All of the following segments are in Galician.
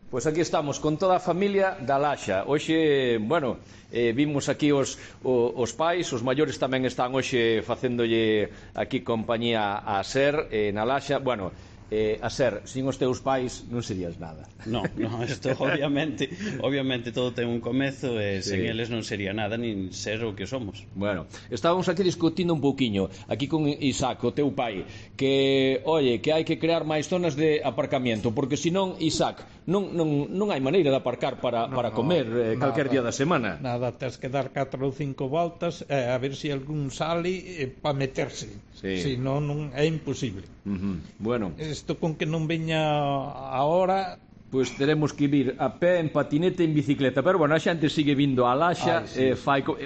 Pois aquí estamos con toda a familia da Laxa. Hoxe, bueno, vimos aquí os pais, os maiores tamén están hoxe facéndolle aquí compañía a Ser na Laxa. Bueno, a Ser, sin os teus pais non serías nada. No, isto obviamente todo ten un comezo e sen eles non sería nada nin ser o que somos. Bueno, estábamos aquí discutindo un pouquiño aquí con Isaac, o teu pai, que, oye, que hai que crear máis zonas de aparcamiento, porque senón, Isaac, non hai maneira de aparcar para comer calquer día da semana. Nada, tens que dar 4 ou 5 voltas a ver se algún sale para meterse. Senón non é imposible. Bueno, isto con que non veña a hora, pois teremos que vir a pé, en patinete e en bicicleta. Pero bueno, a xente sigue vindo a Laxa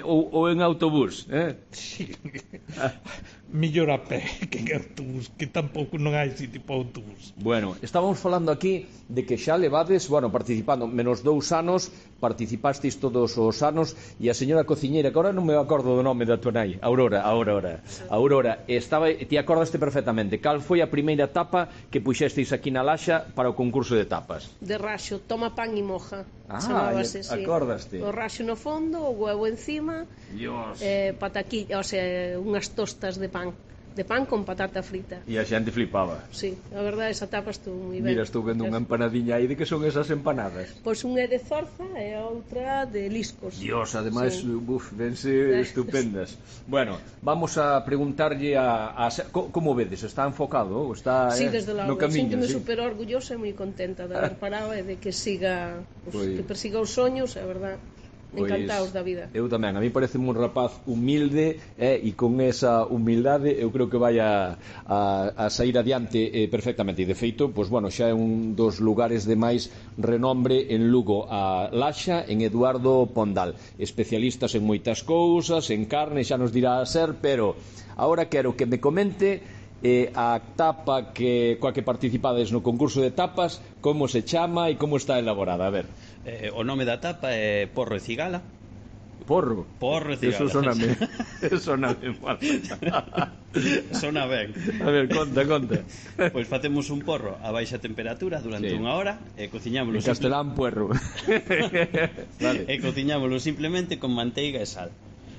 ou en autobús, Sí. Mellor a pé que en autobús, que tampouco non hai sitio para autobús. Bueno, estábamos falando aquí de que xa levades, bueno, participando menos 2 anos, participasteis todos os anos, e a señora cociñeira, que agora non me acordo do nome da tua nai, Aurora, ti acordaste perfectamente. Cal foi a primeira tapa que puxesteis aquí na Laxa para o concurso de tapas? De raxo, toma pan e moja. Acordaste? O raxo no fondo, o huevo encima, pataquilla, o sea, unhas tostas de pan con patata frita. E a xente flipaba. Sí, a verdade, esa tapa estou moi ben. Mira, estou vendo unha empanadiña aí. De que son esas empanadas? Pois unha é de zorza e a outra de liscos. Dios, ademais, vense estupendas. Bueno, vamos a preguntarlle a como vedes? Está enfocado? Está desde logo, no camiño? Sinto-me super orgullosa e moi contenta de haber parado e de que siga, que persiga os soños, é verdade. Encantados da vida. Eu tamén, a mí parece un rapaz humilde e con esa humildade eu creo que vai a sair adiante perfectamente. E de feito, pois bueno, xa é un dos lugares de máis renombre en Lugo, a Laxa, en Eduardo Pondal. Especialistas en moitas cousas, en carne, xa nos dirá a Ser, pero agora quero que me comente a tapa coa que participades no concurso de tapas, como se chama e como está elaborada. A ver. O nome da tapa é Porro e Cigala. Porro? Porro e Cigala. Eso soname mal. Sona ben. A ver, conta. Pois facemos un porro a baixa temperatura durante unha hora e cociñámolo. En castelán, puerro. Vale. E cociñámolo simplemente con manteiga e sal.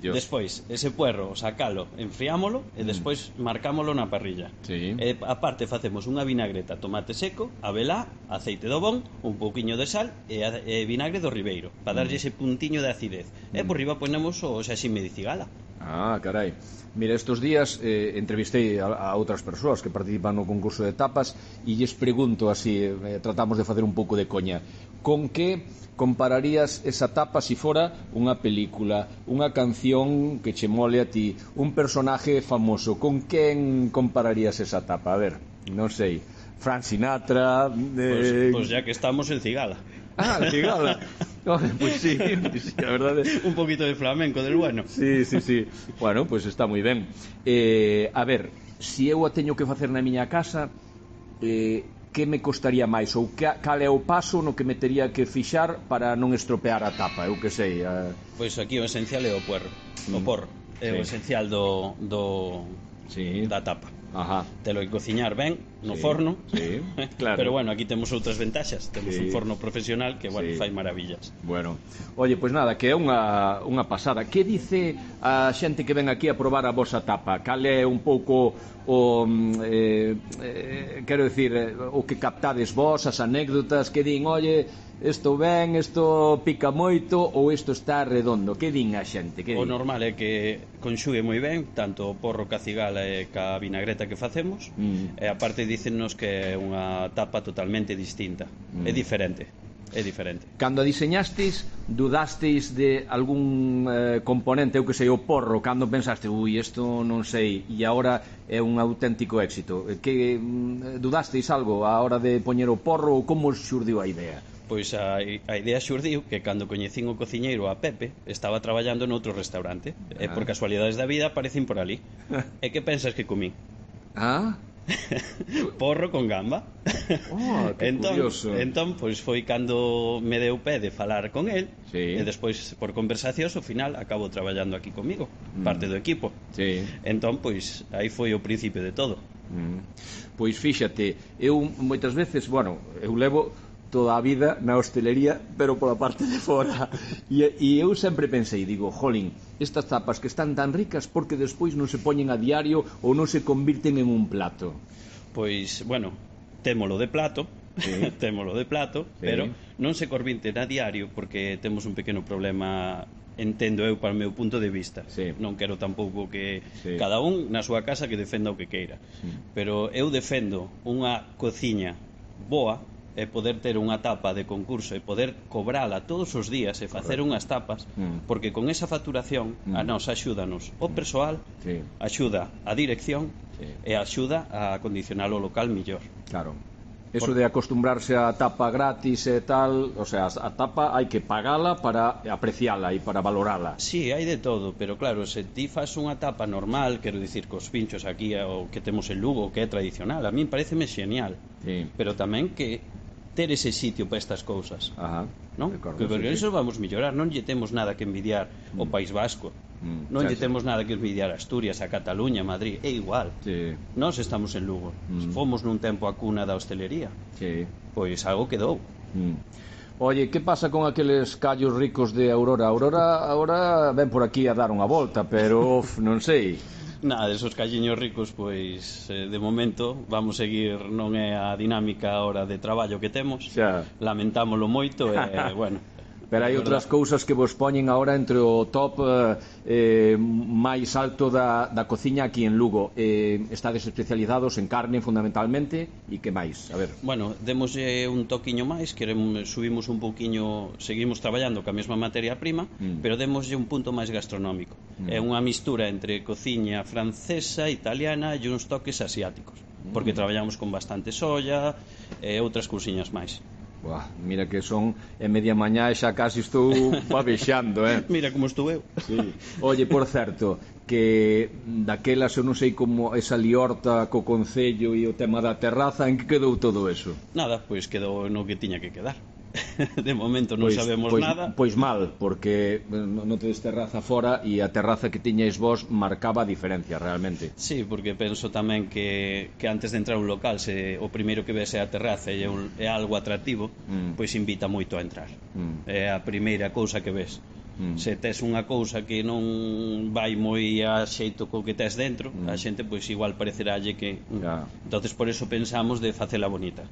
Despois, ese puerro, sacalo, enfriámolo e despois marcámolo na parrilla. E aparte facemos unha vinagreta, tomate seco, abelá, aceite do bon, un pouquiño de sal e vinagre do ribeiro, para darlle ese puntiño de acidez. E por riba ponemos o xaxime de cigala. Ah, carai. Mira, estos días entrevistei a outras persoas que participan no concurso de tapas e lles pregunto así, tratamos de facer un pouco de coña, con que compararías esa tapa si fora unha película, unha canción que che mole a ti, un personaje famoso? Con quen compararías esa tapa? A ver, non sei, Frank Sinatra... Pois ya que estamos en Cigala. Ah, Cigala. Pois sí, a verdade. Un poquito de flamenco del bueno. Sí. Bueno, pois está moi ben. A ver, se eu a teño que facer na miña casa, que me costaría máis? Ou cal é o paso no que me tería que fixar para non estropear a tapa? Eu que sei. Pois aquí o esencial é o puerro. O porro é o esencial da tapa. Telo que cociñar ben no forno. Claro. Pero bueno, aquí temos outras ventaxas. Temos un forno profesional que, bueno, fai maravillas. Bueno, oye, pois nada, que é unha pasada. Que dice a xente que ven aquí a probar a vosa tapa? Cal é un pouco o quero dicir, o que captades vos, as anécdotas que din, oye, isto ben, isto pica moito, ou isto está redondo? Que din a xente? O normal é que conxugue moi ben tanto o porro ca cigala e ca vinagreta que facemos, e aparte dícennos que é unha tapa totalmente distinta. É diferente. Cando a diseñasteis, dudasteis de algún componente, eu que sei, o porro, cando pensaste, isto non sei, e agora é un auténtico éxito? Que dudasteis algo a hora de poñer o porro, ou como xurdiu a idea? Pois a idea xurdiu que cando coñecín o cociñeiro a Pepe estaba traballando noutro restaurante e por casualidades da vida aparecín por ali. E que pensas que comín? Porro con gamba. Que curioso. Entón, pois foi cando me deu pé de falar con el e despois por conversacións ao final acabo traballando aquí comigo, parte do equipo. Entón, pois aí foi o principio de todo. Pois fíxate, eu moitas veces, bueno, eu levo toda a vida na hostelería, pero pola parte de fora. E eu sempre pensei, digo, jolín, estas tapas que están tan ricas, porque despois non se poñen a diario ou non se convirten en un plato? Pois, bueno, témolo de plato, sí. Témolo de plato, sí. Pero non se convirten a diario porque temos un pequeno problema, entendo eu, para o meu punto de vista, sí. Non quero tampouco que sí. Cada un na súa casa que defenda o que queira, sí. Pero eu defendo unha cociña boa e poder ter unha tapa de concurso e poder cobrala todos os días e facer unhas tapas, porque con esa facturación a nos axúdanos o persoal, sí. Axuda a dirección, sí. E axuda a acondicionar o local millor. Claro. Eso de acostumbrarse a tapa gratis e tal, o sea, a tapa hai que pagala para apreciala e para valorala. Sí, hai de todo, pero claro, se ti fas unha tapa normal, quero dicir, cos pinchos aquí o que temos en Lugo, que é tradicional, a min pareceme xenial, sí. Pero tamén que ter ese sitio para estas cousas. Ajá. Non? Que porque sí, eso vamos mellorar, non lle temos nada que envidiar o País Vasco. Non lle temos nada que envidiar a Asturias, a Cataluña, a Madrid, é igual. Sí. Nós estamos en Lugo. Fomos nun tempo a cuna da hostelería. Sí. Pois algo quedou. Oye, que pasa con aqueles callos ricos de Aurora? Aurora ven por aquí a dar unha volta, pero non sei. Nada, esos calliños ricos, pois de momento vamos seguir, non é a dinámica ahora de traballo que temos, xa. Lamentámolo moito e, bueno. Pero hai outras cousas que vos poñen agora entre o top máis alto da cociña aquí en Lugo. Estades especializados en carne fundamentalmente, e que máis? A ver. Bueno, demoslle un toquiño máis, subimos un pouquiño, seguimos traballando ca mesma materia prima, pero demoslle un punto máis gastronómico. É unha mistura entre cociña francesa, italiana e uns toques asiáticos, porque traballamos con bastante soya e outras cousiñas máis. Buah, mira que son media mañá e xa casi estou babexando, Mira como estou eu. Sí. Oye, por certo, que daquelas eu non sei como esa liorta co concello e o tema da terraza, en que quedou todo eso? Nada, pois quedou no que tiña que quedar. De momento non sabemos nada. Pois mal, porque non tedes terraza fora e a terraza que tiñais vos marcaba a diferencia realmente. Sí, porque penso tamén que antes de entrar a un local, se o primeiro que vese a terraza é algo atractivo, pois invita moito a entrar. É a primeira cousa que ves. Se tes unha cousa que non vai moi a xeito co que tes dentro, a xente pois igual pareceralle que entonces por eso pensamos de facela bonita.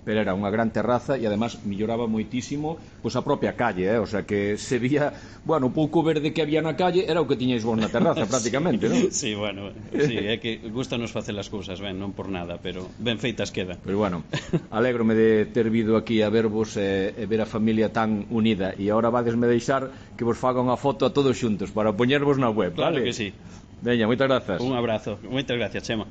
Pero era unha gran terraza e además melloraba moitísimo pois a propia calle, o sea que se vía, bueno, o pouco verde que había na calle era o que tiñais vos na terraza prácticamente, non? Sí, bueno, sí, é que gustanos facer as cousas ben, non por nada, pero ben feitas quedan. Pero bueno, alégrome de ter vido aquí a vervos e ver a familia tan unida, e agora vadesme deixar que vos faga unha foto a todos xuntos para poñervos na web, claro, vale? Que sí. Veña, moitas grazas. Un abrazo, moitas gracias, Chema.